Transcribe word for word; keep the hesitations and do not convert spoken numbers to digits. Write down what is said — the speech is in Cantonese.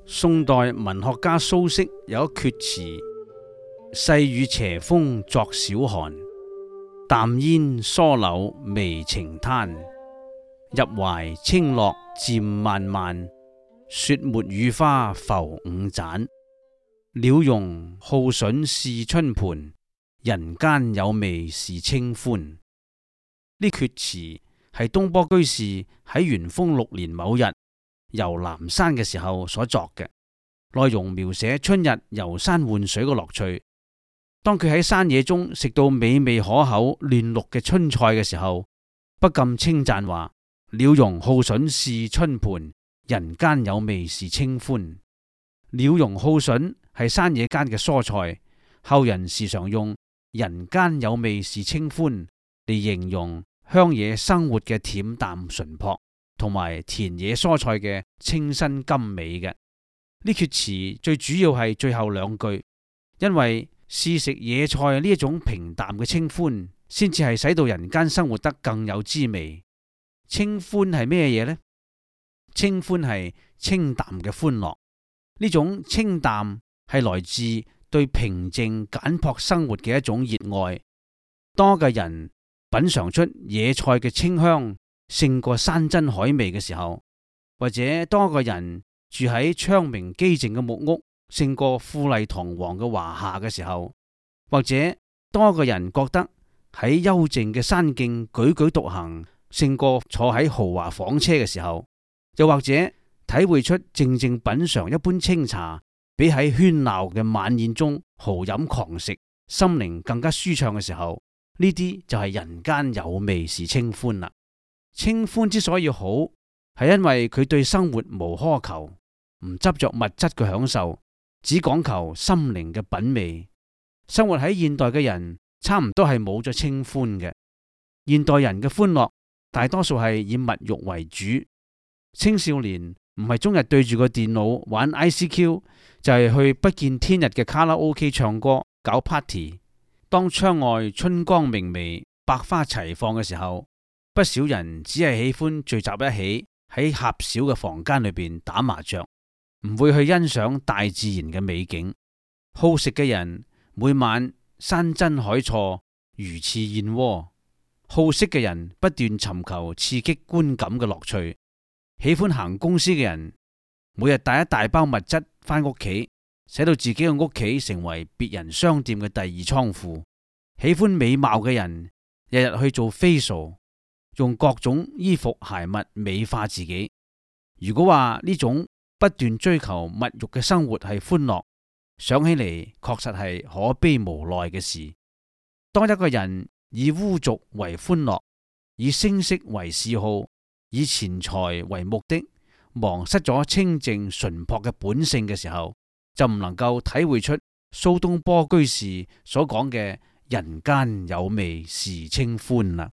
宋代文學家蘇軾有一闕詞：細雨斜風作小寒，淡煙疏柳微晴灘。入懷清樂漸漫漫，雪沒雨花浮五盞。鳥茸好筍是春盤，人間有味是清歡。呢闕詞係東坡居士喺元豐六年某日遊南山嘅時候所作嘅，內容描寫春日遊山玩水嘅樂趣。當佢喺山野中食到美味可口嫩綠嘅春菜嘅時候，不禁稱讚話：鳥茸好筍是春盤，人間有味是清歡。鳥茸好筍係山野間嘅蔬菜，後人時常用人間有味是清歡嚟形容鄉野生活嘅恬淡淳樸，同埋田野蔬菜嘅清新甘美嘅。呢闕詞最主要係最後兩句，因為試食野菜呢一種平淡嘅清歡，先至係使到人間生活得更有滋味。清歡係咩嘢呢？清歡係清淡嘅歡樂，呢種清淡係來自對平靜簡樸生活嘅一種熱愛。當個人品嘗出野菜嘅清香勝過山珍海味嘅時候，或者當個人住喺窗明幾淨嘅木屋勝過富麗堂皇嘅華廈嘅時候，或者當個人覺得喺幽靜嘅山徑踽踽獨行勝過坐喺豪華房車嘅時候，又或者體會出靜靜品嘗一杯清茶比喺喧鬧嘅晚宴中豪飲狂食心靈更加舒暢嘅時候，呢啲就係人間有味是清歡啦。清歡之所以好，係因為佢對生活無苛求，唔執着物質嘅享受，只講求心靈嘅品味。生活喺現代嘅人差唔多係冇咗清歡嘅。現代人嘅歡樂大多數係以物欲為主。青少年唔係終日對住個電腦玩 I C Q， 就係去不見天日嘅卡拉 OK 唱歌搞 party。當窗外春光明媚百花齊放嘅時候，不少人只係喜歡聚集一起喺狹小嘅房間裏邊打麻雀，唔會去欣賞大自然嘅美景。好食嘅人每晚山珍海錯魚翅燕窩，好色嘅人不斷尋求刺激觀感嘅樂趣。喜歡行公司嘅人每日帶一大包物質返屋企，使到自己嘅屋企成為別人商店嘅第二倉庫。喜歡美貌嘅人日日去做 facial， 用各種衣服鞋襪美化自己。如果話呢種不斷追求物欲嘅生活係歡樂，想起嚟確實係可悲無奈嘅事。當一個人以污俗為歡樂，以聲色為嗜好，以錢財為目的，忘失咗清淨純樸嘅本性嘅時候，就唔能夠體會出蘇東坡居士所講嘅人間有味是清歡啦。